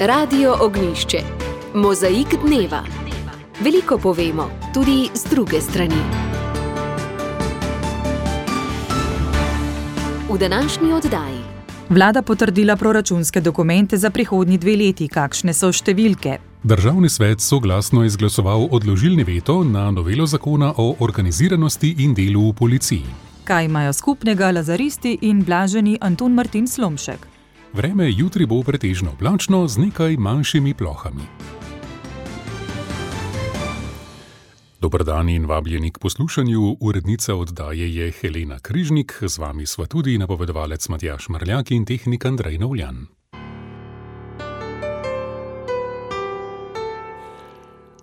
Radio Ognjišče. Mozaik dneva. Veliko povemo, tudi z druge strani. V današnji oddaji. Vlada potrdila proračunske dokumente za prihodnji 2 leti. Kakšne so številke? Državni svet soglasno izglasoval odložilni veto na novelo zakona o organiziranosti in delu v policiji. Kaj imajo skupnega lazaristi in blaženi Antun Martin Slomšek? Vreme jutri bo pretežno oblačno z nekaj manjšimi plohami. Dober dan in vabljeni k poslušanju. Urednica oddaje je Helena Križnik, z vami sva tudi napovedovalec Matjaž Marljak in tehnik Andrej Novljan.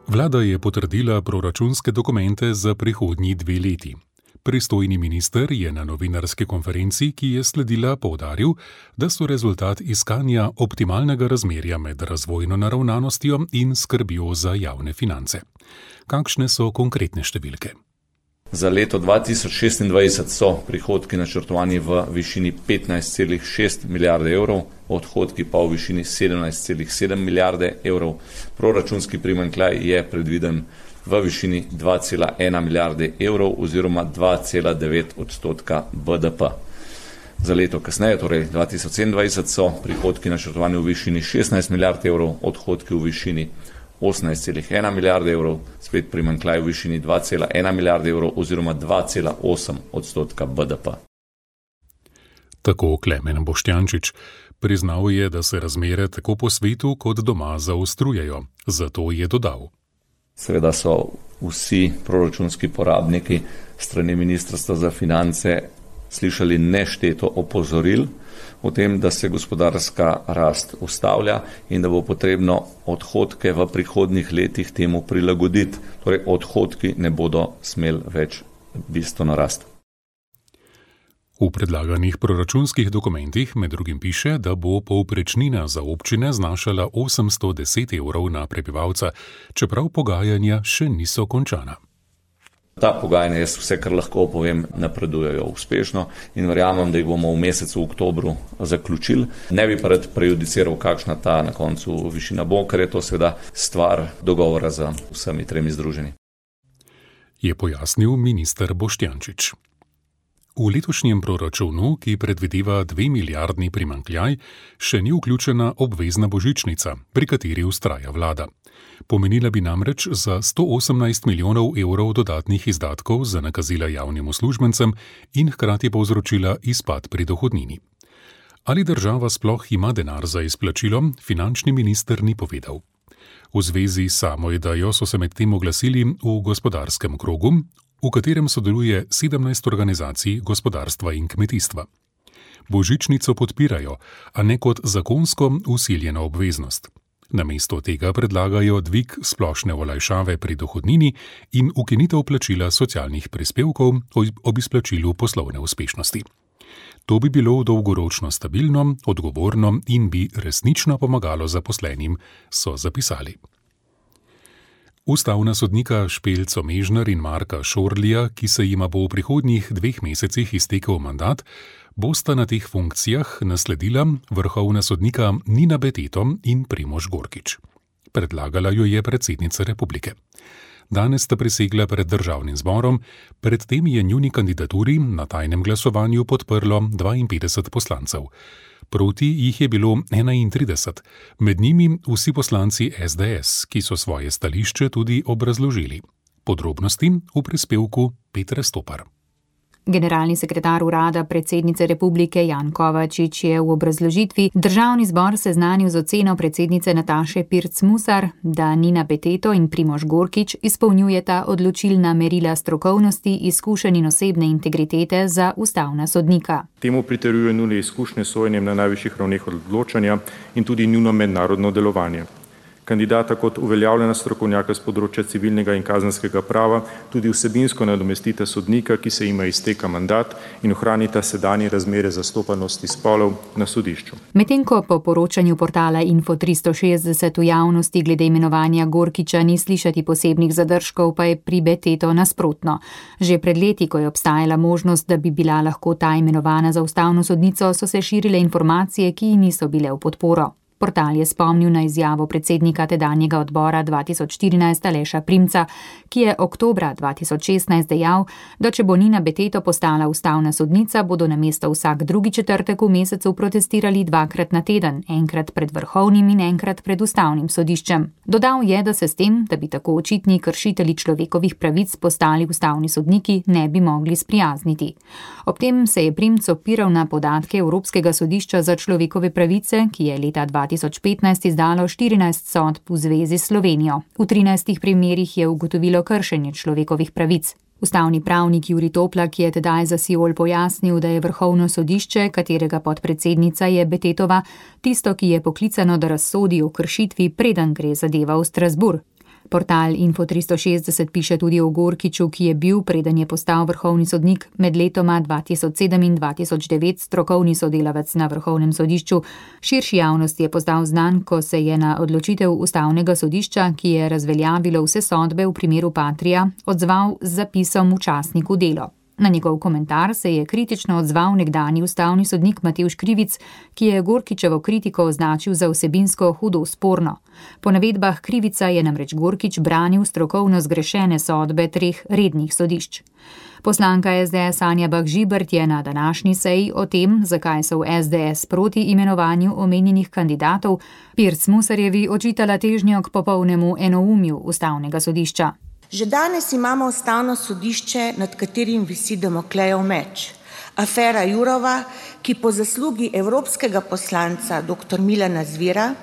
Vlada je potrdila proračunske dokumente za prihodnji 2 leti. Pristojni minister je na novinarski konferenci, ki je sledila, poudaril, da so rezultat iskanja optimalnega razmerja med razvojno naravnanostjo in skrbjo za javne finance. Kakšne so konkretne številke? Za leto 2026 so prihodki načrtovani v višini 15,6 milijarde evrov, odhodki pa v višini 17,7 milijarde evrov. Proračunski primanjkljaj je predviden v višini 2,1 milijarde evrov oziroma 2,9% BDP. Za leto kasneje, torej 2027, so prihodki načrtovani v višini 16 milijard evrov, odhodki v višini 18,1 milijarde evrov, spet primanjkljaj v višini 2,1 milijarde evrov oziroma 2,8% BDP. Tako Klemen Boštjančič. Priznal je, da se razmere tako po svetu kot doma zaostrujejo. Zato je dodal. Seveda so vsi proračunski porabniki strani Ministrstva za finance slišali nešteto opozoril o tem, da se gospodarska rast ustavlja in da bo potrebno odhodke v prihodnjih letih temu prilagoditi. Torej, odhodki ne bodo smeli več bistveno rasti. V predlaganih proračunskih dokumentih med drugim piše, da bo povprečnina za občine znašala 810 evrov na prebivalca, čeprav pogajanja še niso končana. Ta pogajanja, jaz vse, kar lahko povem, napredujejo uspešno in verjamem, da jih bomo v mesecu oktobru zaključili. Ne bi pa rad prejudiciral, kakšna ta na koncu višina bo, ker je to seveda stvar dogovora z vsemi 3 združenji. Je pojasnil minister Boštjančič. V letošnjem proračunu, ki predvideva 2 milijardni primanjkljaj, še ni vključena obvezna božičnica, pri kateri vztraja vlada. Pomenila bi namreč za 118 milijonov evrov dodatnih izdatkov za nakazila javnim uslužbencem in hkrati povzročila izpad pri dohodnini. Ali država sploh ima denar za izplačilo, finančni minister ni povedal. V zvezi s samo idejo so se medtem oglasili v gospodarskem krogu, v katerem sodeluje 17 organizacij gospodarstva in kmetijstva. Božičnico podpirajo, a ne kot zakonsko vsiljeno obveznost. Namesto tega predlagajo dvig splošne olajšave pri dohodnini in ukinitev plačila socialnih prispevkov ob izplačilu poslovne uspešnosti. To bi bilo dolgoročno stabilno, odgovorno in bi resnično pomagalo zaposlenim, so zapisali. Ustavna sodnika Špelco Mežner in Marka Šorlija, ki se jima bo v prihodnjih 2 mesecih iztekel mandat, bosta na teh funkcijah nasledila vrhovna sodnika Nina Beteto in Primož Gorkič. Predlagala jo je predsednica republike. Danes sta prisegla pred državnim zborom, predtem je njuni kandidaturi na tajnem glasovanju podprlo 52 poslancev. Proti jih je bilo 31, med njimi vsi poslanci SDS, ki so svoje stališče tudi obrazložili. Podrobnosti v prispevku Petre Stopar. Generalni sekretar urada predsednice republike Jan Kovačič je v obrazložitvi Državni zbor seznanil z oceno predsednice Nataše Pirc Musar, da Nina Beteto in Primož Gorkič izpolnjujeta odločilna merila strokovnosti, izkušenj in osebne integritete za ustavna sodnika. Temu pritrjuje njune izkušnje s sojenjem na najvišjih ravneh odločanja in tudi njuno mednarodno delovanje. Kandidata kot uveljavljena strokovnjaka z področja civilnega in kazenskega prava tudi vsebinsko nadomestita sodnika, ki se jima izteka mandat in ohranita sedanje razmere zastopanosti spolov na sodišču. Medtem ko po poročanju portala Info 360 v javnosti glede imenovanja Gorkiča ni slišati posebnih zadržkov, pa je pri Beteto nasprotno. Že pred leti, ko je obstajala možnost, da bi bila lahko ta imenovana za ustavno sodnico, so se širile informacije, ki ji niso bile v podporo. Portal je spomnil na izjavo predsednika tedanjega odbora 2014 Aleša Primca, ki je oktobra 2016 dejal, da če bo Nina Beteto postala ustavna sodnica, bodo namesto vsak drugi četrtek v mesecu protestirali 2krat na teden, enkrat pred Vrhovnim in enkrat pred ustavnim sodiščem. Dodal je, da se s tem, da bi tako očitni kršitelji človekovih pravic postali ustavni sodniki, ne bi mogli sprijazniti. Ob tem se je Primc opiral na podatke Evropskega sodišča za človekove pravice, ki je leta 2015 izdalo 14 sodb v zvezi s Slovenijo. V 13 primerih je ugotovilo kršenje človekovih pravic. Ustavni pravnik Jurij Toplak je tedaj za Siol pojasnil, da je Vrhovno sodišče, katerega podpredsednica je Betetova, tisto, ki je poklicano, da razsodi o kršitvi, preden gre zadeva v Strasbourg. Portal Info360 piše tudi o Gorkiču, ki je bil, preden je postal vrhovni sodnik, med letoma 2007 in 2009 strokovni sodelavec na Vrhovnem sodišču. Širši javnosti je postal znan, ko se je na odločitev ustavnega sodišča, ki je razveljavilo vse sodbe v primeru Patria, odzval z zapisom v časniku Delo. Na njegov komentar se je kritično odzval nekdanji ustavni sodnik Matevž Krivic, ki je Gorkičevo kritiko označil za vsebinsko hudo sporno. Po navedbah Krivica je namreč Gorkič branil strokovno zgrešene sodbe 3 rednih sodišč. Poslanka SDS Anja Bah Žibert je na današnji seji o tem, zakaj so v SDS proti imenovanju omenjenih kandidatov, Pirc Musarjevi očitala težnjo k popolnemu enoumju ustavnega sodišča. Že danes imamo ustavno sodišče, nad katerim visi Damoklejev meč. Afera Jourova, ki po zaslugi evropskega poslanca dr. Milana Zvera,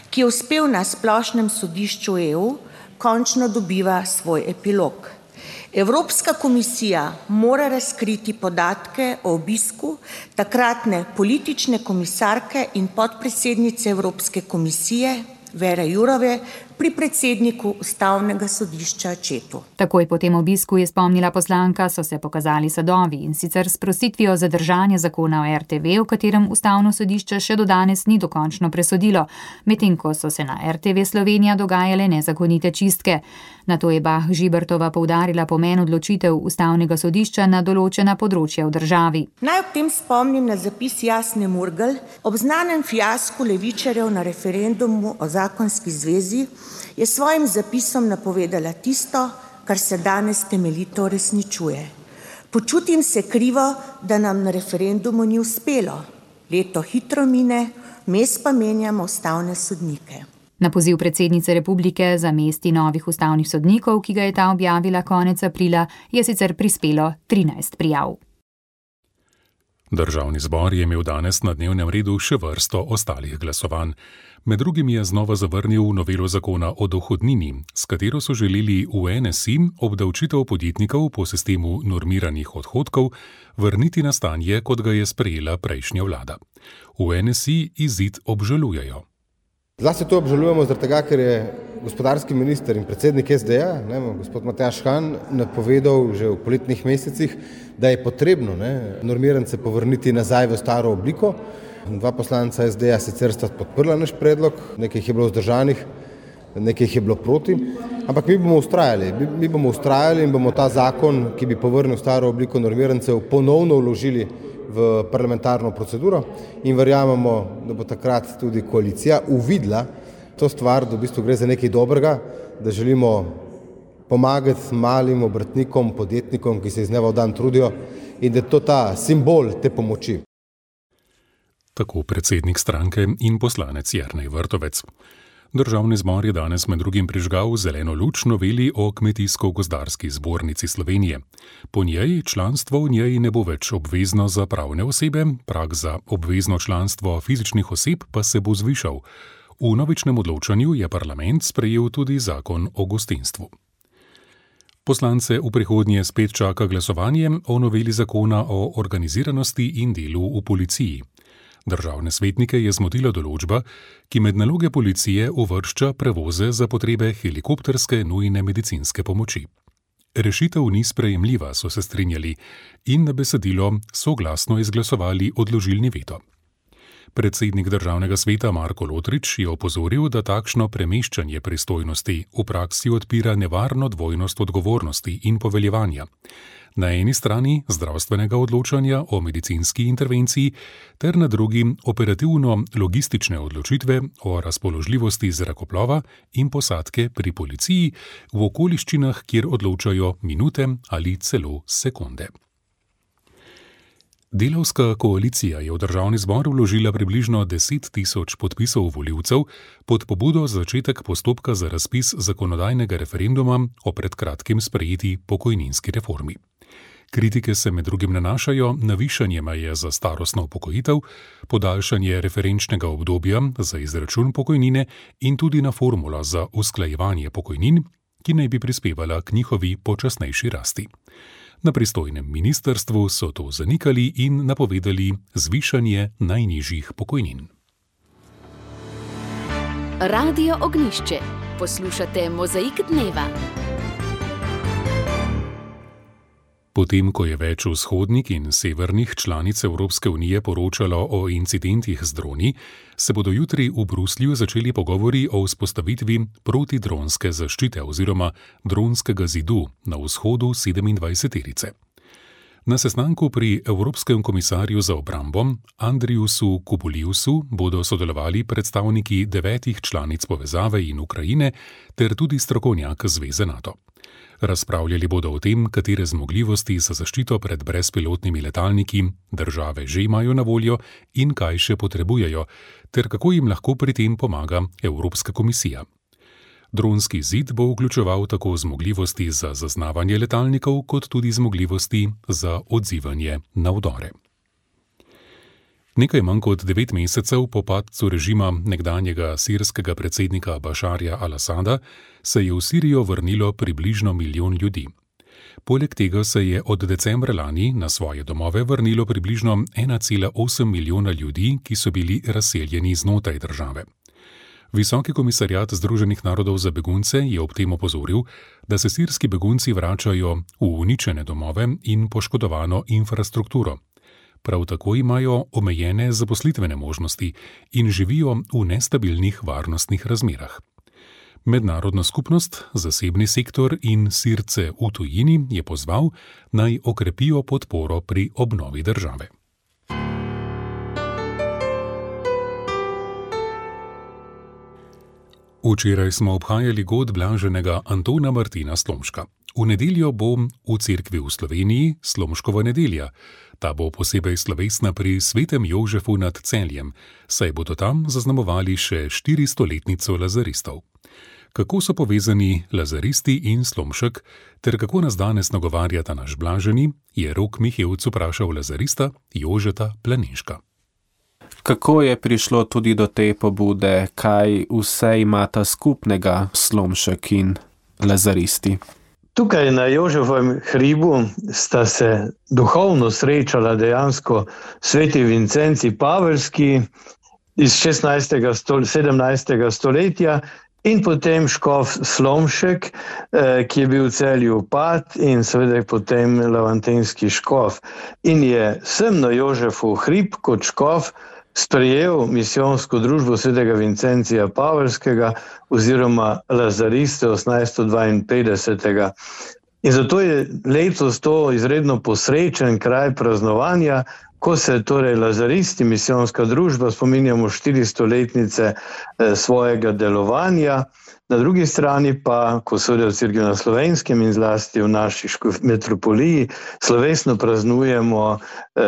ki je uspel na splošnem sodišču EU, končno dobiva svoj epilog. Evropska komisija mora razkriti podatke o obisku takratne politične komisarke in podpredsednice Evropske komisije Vere Jourove pri predsedniku ustavnega sodišča Četu. Takoj po tem obisku, je spomnila poslanka, so se pokazali sadovi, in sicer s prositvijo zadržanja zakona o RTV, v katerem ustavno sodišče še do danes ni dokončno presodilo, medtem ko so se na RTV Slovenija dogajale nezakonite čistke. Nato je Bah Žibertova poudarila pomen odločitev ustavnega sodišča na določena področja v državi. Naj ob tem spomnim na zapis Jasne Murgel ob znanem fiasku levičarjev na referendumu o zakonski zvezi, je svojim zapisom napovedala tisto, kar se danes temeljito uresničuje. Počutim se krivo, da nam na referendumu ni uspelo. Leto hitro mine, mes pa menjamo ustavne sodnike. Na poziv predsednice republike za mesti novih ustavnih sodnikov, ki ga je ta objavila konec aprila, je sicer prispelo 13 prijav. Državni zbor je imel danes na dnevnem redu še vrsto ostalih glasovanj. Med drugim je znova zavrnil novelo zakona o dohodnini, s katero so želeli v NSI obdavčitev podjetnikov po sistemu normiranih odhodkov vrniti na stanje, kot ga je sprejela prejšnja vlada. V NSI izid obžalujejo. Zlasti to obžalujemo zaradi tega, ker je gospodarski minister in predsednik SD-ja, gospod Matjaž Han, napovedal že v poletnih mesecih, da je potrebno normirance povrniti nazaj v staro obliko. 2 poslanca SD-ja sicer sta podprla naš predlog, nekaj jih je bilo vzdržanih, nekaj jih je bilo proti, ampak mi bomo ustrajali in bomo ta zakon, ki bi povrnil staro obliko normirancev, ponovno vložili v parlamentarno proceduro in verjamemo, da bo takrat tudi koalicija uvidela to stvar, da v bistvu gre za nekaj dobrega, da želimo pomagati malim obrtnikom, podjetnikom, ki se iz dneva v dan trudijo, in da je to ta simbol te pomoči. Tako predsednik stranke in poslanec Jernej Vrtovec. Državni zbor je danes med drugim prižgal zeleno luč noveli o Kmetijsko-gozdarski zbornici Slovenije. Po njej članstvo v njej ne bo več obvezno za pravne osebe, prag za obvezno članstvo fizičnih oseb pa se bo zvišal. V novičnem odločanju je parlament sprejel tudi zakon o gostinstvu. Poslance v prihodnje spet čaka glasovanje o noveli zakona o organiziranosti in delu v policiji. Državne svetnike je zmotila določba, ki med naloge policije uvršča prevoze za potrebe helikopterske nujne medicinske pomoči. Rešitev ni sprejemljiva, so se strinjali in na besedilo soglasno izglasovali odložilni veto. Predsednik Državnega sveta Marko Lotrič je opozoril, da takšno premeščanje pristojnosti v praksi odpira nevarno dvojnost odgovornosti in poveljevanja. Na eni strani zdravstvenega odločanja o medicinski intervenciji, ter na drugi operativno-logistične odločitve o razpoložljivosti zrakoplova in posadke pri policiji v okoliščinah, kjer odločajo minute ali celo sekunde. Delavska koalicija je v državni zbor vložila približno 10 000 podpisov volivcev pod pobudo za začetek postopka za razpis zakonodajnega referenduma o pred kratkim sprejeti pokojninski reformi. Kritike se med drugim nanašajo na višanje meje za starostno upokojitev, podaljšanje referenčnega obdobja za izračun pokojnine in tudi na formulo za usklajevanje pokojnin, ki naj bi prispevala k njihovi počasnejši rasti. Na pristojnem ministrstvu so to zanikali in napovedali zvišanje najnižjih pokojnin. Radio Ognjišče. Poslušate Mozaik dneva. Potem, ko je več vzhodnih in severnih članic Evropske unije poročalo o incidentih z droni, se bodo jutri v Bruslju začeli pogovori o vzpostavitvi protidronske zaščite oziroma dronskega zidu na vzhodu 27-terice. Na sestanku pri Evropskem komisarju za obrambo Andriusu Kubiliusu bodo sodelovali predstavniki 9 članic povezave in Ukrajine ter tudi strokovnjak Zveze NATO. Razpravljali bodo o tem, katere zmogljivosti za zaščito pred brezpilotnimi letalniki države že imajo na voljo in kaj še potrebujejo, ter kako jim lahko pri tem pomaga Evropska komisija. Dronski zid bo vključeval tako zmogljivosti za zaznavanje letalnikov, kot tudi zmogljivosti za odzivanje na vdore. Nekaj manj kot 9 mesecev po padcu režima nekdanjega sirskega predsednika Bašarja al-Asada se je v Sirijo vrnilo približno 1 milijon ljudi. Poleg tega se je od decembra lani na svoje domove vrnilo približno 1,8 milijona ljudi, ki so bili razseljeni znotraj države. Visoki komisarjat Združenih narodov za begunce je ob tem opozoril, da se sirski begunci vračajo v uničene domove in poškodovano infrastrukturo. Prav tako imajo omejene zaposlitvene možnosti in živijo v nestabilnih varnostnih razmerah. Mednarodna skupnost, zasebni sektor in Sirce v tujini je pozval, naj okrepijo podporo pri obnovi države. Včeraj smo obhajali god blaženega Antona Martina Slomška. V nedeljo bo v cerkvi v Sloveniji Slomškova nedelja. Ta bo posebej slovesna pri svetem Jožefu nad Celjem, saj bodo tam zaznamovali še 400-letnico lazaristov. Kako so povezani lazaristi in Slomšek, ter kako nas danes nagovarjata naš blaženi, je Rok Mihevc vprašal lazarista Jožeta Planinška. Kako je prišlo tudi do te pobude, kaj vse imata skupnega Slomšek in lazaristi? Tukaj na Jožefovem hribu sta se duhovno srečala dejansko sveti Vincenci Pavelski iz 17. stoletja in potem škof Slomšek, ki je bil v Celju vpad in seveda potem lavantenski škof. In je sem na Jožefov hrib kot škof sprejel misijonsko družbo svetega Vincencija Pavelskega oziroma lazariste 1852. In zato je letos to izredno posrečen kraj praznovanja, ko se torej lazaristi, misijonska družba, spominjamo 400-letnice svojega delovanja, na drugi strani pa, ko seveda v Cerkvi na Slovenskem in zlasti v naši metropoliji, slovesno praznujemo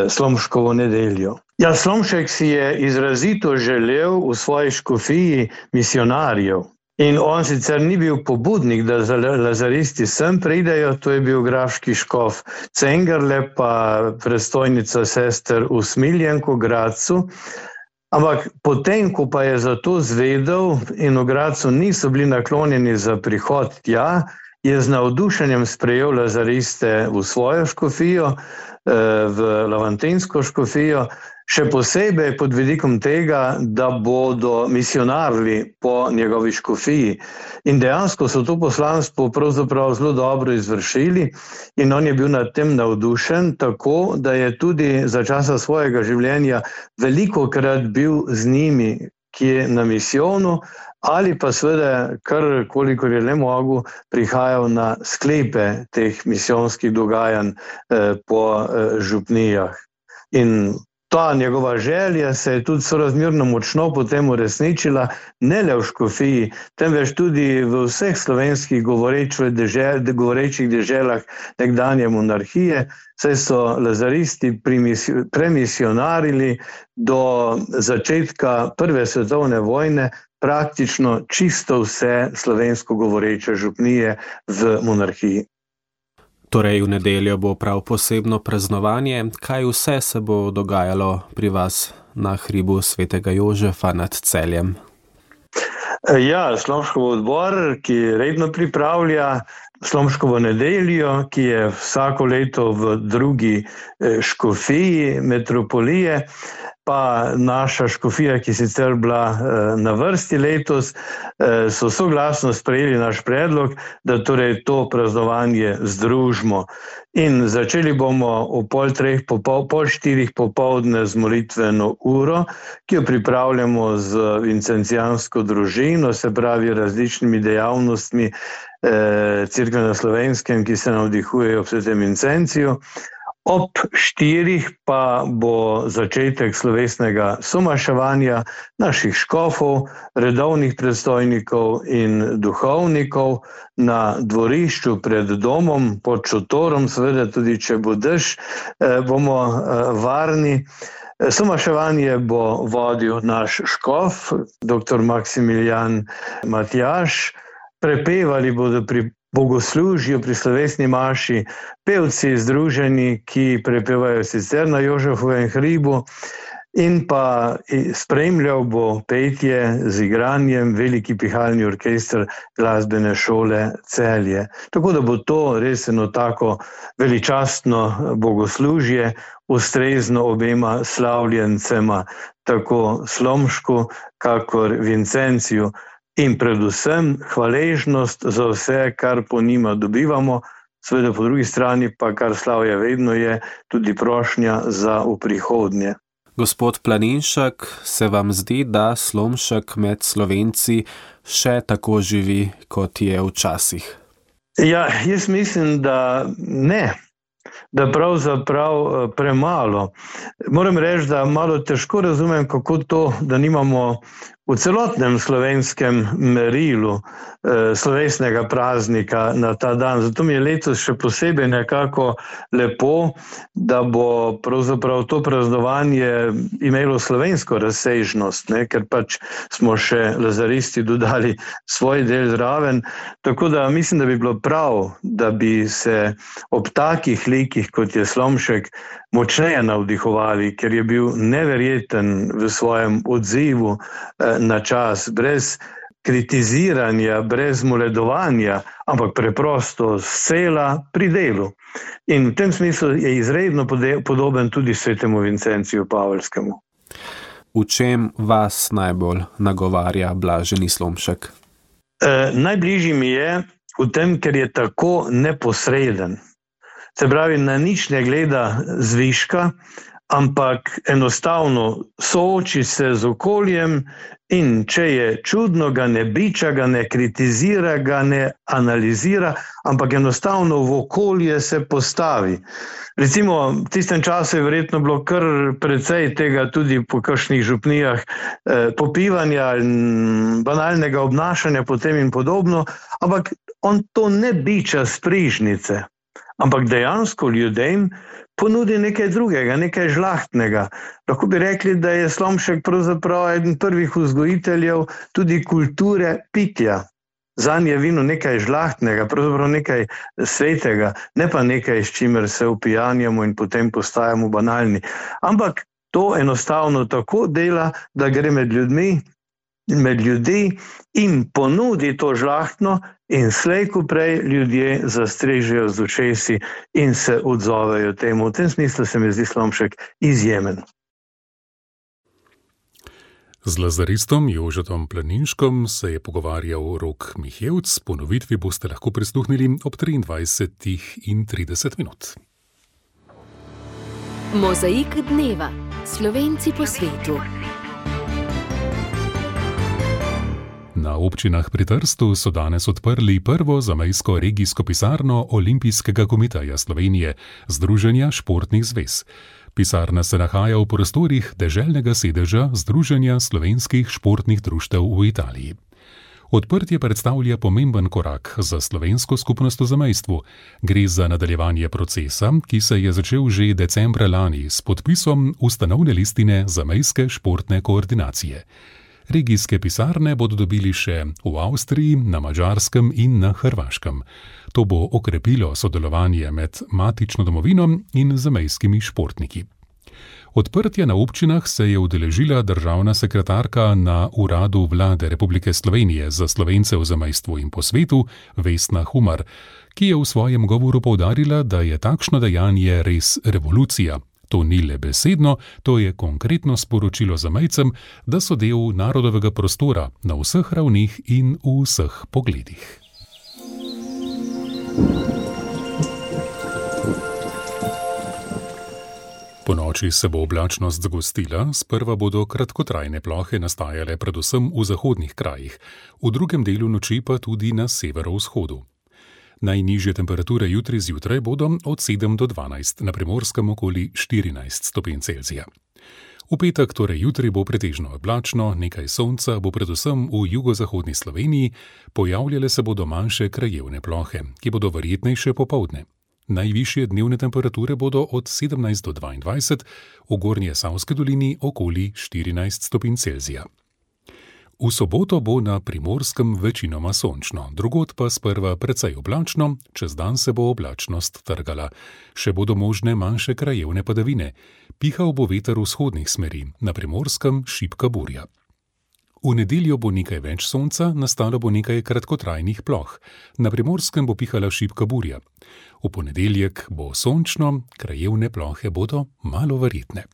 Slomškovo nedeljo. Ja, Slomšek si je izrazito želel v svoji škofiji misionarjev. In on sicer ni bil pobudnik, da lazaristi sem pridejo, to je bil grafski škof Cengerle, pa predstojnica sester v Smiljenku, Gradcu. Ampak potem, ko pa je za to zvedel in v Gradcu niso bili naklonjeni za prihod tja, je z navdušenjem sprejel lazariste v svojo škofijo, v lavantensko škofijo, še posebej pod vidikom tega, da bodo misionarili po njegovi škofiji. In dejansko so to poslanstvo pravzaprav zelo dobro izvršili in on je bil nad tem navdušen, tako da je tudi za časa svojega življenja velikokrat bil z njimi, ki je na misijonu, ali pa seveda, kar kolikor je le mogel, prihajal na sklepe teh misijonskih dogajanj po župnijah. In ta njegova želja se je tudi sorazmerno močno potem uresničila, ne le v Škofiji, temveč tudi v vseh slovenskih govorečih deželah nekdanje monarhije, saj so lazaristi premisionarili do začetka Prve svetovne vojne praktično čisto vse slovensko govoreče župnije v monarhiji. Torej, v nedeljo bo prav posebno praznovanje. Kaj vse se bo dogajalo pri vas na hribu svetega Jožefa nad Celjem? Ja, Slomškov odbor, ki redno pripravlja Slomškovo nedeljo, ki je vsako leto v drugi škofiji metropolije, pa naša škofija, ki sicer bila na vrsti letos, so soglasno sprejeli naš predlog, da torej to praznovanje združimo. In začeli bomo o 3:30 popoldne z molitveno uro, ki jo pripravljamo z vincencijansko družino, se pravi različnimi dejavnostmi Cerkve na Slovenskem, ki se navdihujejo ob svetem Vincenciju. Ob 4 pa bo začetek slovesnega somaševanja naših škofov, redovnih predstojnikov in duhovnikov na dvorišču pred domom, pod šotorom, seveda tudi če bo dež, bomo varni. Somaševanje bo vodil naš škof, dr. Maksimilijan Matjaž. Prepevali bodo pri bogoslužju, pri slovesni maši pevci združeni, ki prepevajo sicer na Jožefovem hribu, in pa spremljal bo petje z igranjem veliki pihalni orkester glasbene šole Celje. Tako da bo to res eno tako veličastno bogoslužje, ustrezno obema slavljencema, tako Slomšku kakor Vincenciju. In predvsem hvaležnost za vse, kar po njima dobivamo, seveda po drugi strani pa, kar slavje vedno je, tudi prošnja za v prihodnje. Gospod Planinšek, se vam zdi, da Slomšek med Slovenci še tako živi, kot je včasih? Ja, jaz mislim, da ne. Da pravzaprav premalo. Moram reči, da malo težko razumem, kako to, da nimamo v celotnem slovenskem merilu slovesnega praznika na ta dan. Zato mi je letos še posebej nekako lepo, da bo pravzaprav to praznovanje imelo slovensko razsežnost, ker pač smo še lazaristi dodali svoj del zraven. Tako da mislim, da bi bilo prav, da bi se ob takih likih, kot je Slomšek, močneje navdihovali, ker je bil neverjeten v svojem odzivu na čas, brez kritiziranja, brez moledovanja, ampak preprosto scela pri delu. In v tem smislu je izredno podoben tudi svetemu Vincenciju Pavelskemu. V čem vas najbolj nagovarja blaženi Slomšek? Najbližji mi je v tem, ker je tako neposreden. Se pravi, na nič ne gleda zviška, ampak enostavno sooči se z okoljem in če je čudno, ga ne biča, ga ne kritizira, ga ne analizira, ampak enostavno v okolje se postavi. Recimo, v tistem času je verjetno bilo kar precej tega tudi po kakšnih župnijah popivanja in banalnega obnašanja potem in podobno, ampak on to ne biča s prižnice, ampak dejansko ljudem ponudi nekaj drugega, nekaj žlahtnega. Lahko bi rekli, da je Slomšek pravzaprav eden prvih vzgojiteljev tudi kulture pitja. Zanj je vino nekaj žlahtnega, pravzaprav nekaj svetega, ne pa nekaj, s čimer se upijanjamo in potem postajamo banalni. Ampak to enostavno tako dela, da gre med ljudi in ponudi to žlahtno in slej ko prej ljudje zastrežejo z ušesi in se odzovejo temu. V tem smislu se mi zdi Slomšek izjemen. Z lazaristom Jožetom Planinškom se je pogovarjal Rok Mihevc. Ponovitvi boste lahko prisluhnili ob 23:30. Mozaik dneva. Slovenci po svetu. Na občinah pri Trstu so danes odprli prvo zamejsko regijsko pisarno Olimpijskega komiteja Slovenije, Združenja športnih zvez. Pisarna se nahaja v prostorih deželnega sedeža Združenja slovenskih športnih društev v Italiji. Odprtje predstavlja pomemben korak za slovensko skupnost v zamejstvu. Gre za nadaljevanje procesa, ki se je začel že decembra lani s podpisom ustanovne listine zamejske športne koordinacije. Regijske pisarne bodo dobili še v Avstriji, na Madžarskem in na Hrvaškem. To bo okrepilo sodelovanje med matično domovino in zamejskimi športniki. Odprtja na občinah se je udeležila državna sekretarka na Uradu Vlade Republike Slovenije za Slovence v zamejstvu in po svetu, Vesna Humar, ki je v svojem govoru poudarila, da je takšno dejanje res revolucija. To ni le besedno, to je konkretno sporočilo zamejcem, da so del narodovega prostora na vseh ravnih in v vseh pogledih. Ponoči se bo oblačnost zgostila, sprva bodo kratkotrajne plohe nastajale predvsem v zahodnih krajih, v drugem delu noči pa tudi na severovzhodu. Najnižje temperature jutri zjutraj bodo od 7 do 12, na Primorskem okoli 14 stopinj Celzija. V petek, torej jutri, bo pretežno oblačno, nekaj sonca bo predvsem v jugozahodni Sloveniji, pojavljale se bodo manjše krajevne plohe, ki bodo verjetnejše popoldne. Najvišje dnevne temperature bodo od 17 do 22, v Gornje Savske dolini okoli 14 stopinj Celzija. V soboto bo na Primorskem večinoma sončno, drugod pa sprva precej oblačno, čez dan se bo oblačnost trgala. Še bodo možne manjše krajevne padavine. Pihal bo veter vzhodnih smeri, na Primorskem šibka burja. V nedeljo bo nekaj več sonca, nastalo bo nekaj kratkotrajnih ploh. Na Primorskem bo pihala šibka burja. V ponedeljek bo sončno, krajevne plohe bodo malo verjetne.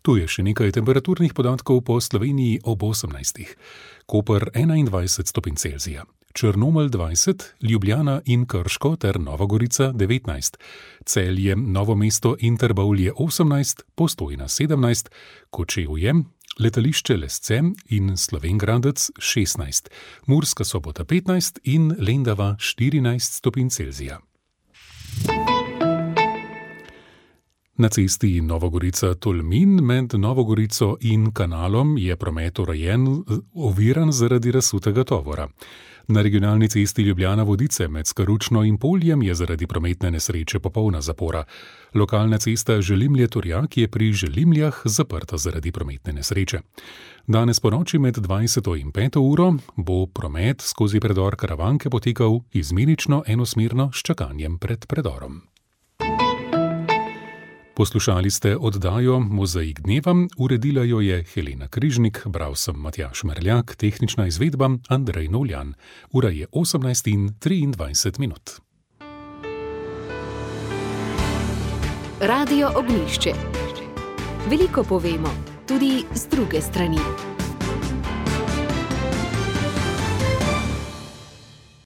Tu je še nekaj temperaturnih podatkov po Sloveniji ob 18. Koper 21 stopinj Celzija, Črnomelj 20, Ljubljana in Krško ter Nova Gorica 19, Celje, Novo mesto in Trbovlje 18, Postojna 17, Kočevje, letališče Lesce in Slovenj Gradec 16, Murska Sobota 15 in Lendava 14 stopinj Celzija. Na cesti Nova Gorica-Tolmin med Novo Gorico in Kanalom je promet oviran zaradi razsutega tovora. Na regionalni cesti Ljubljana-Vodice med Skaručno in Poljem je zaradi prometne nesreče popolna zapora. Lokalna cesta Želimlje-Torjak je pri Želimljah zaprta zaradi prometne nesreče. Danes ponoči med 20. in 5. uro bo promet skozi predor Karavanke potekal izmenično enosmerno s čakanjem pred predorom. Poslušali ste oddajo Mozaik dneva, uredila jo je Helena Križnik, bral sem Matjaž Merljak, tehnična izvedba Andrej Novljan. Ura je 18:23. Radio Ognjišče. Veliko povemo, tudi z druge strani.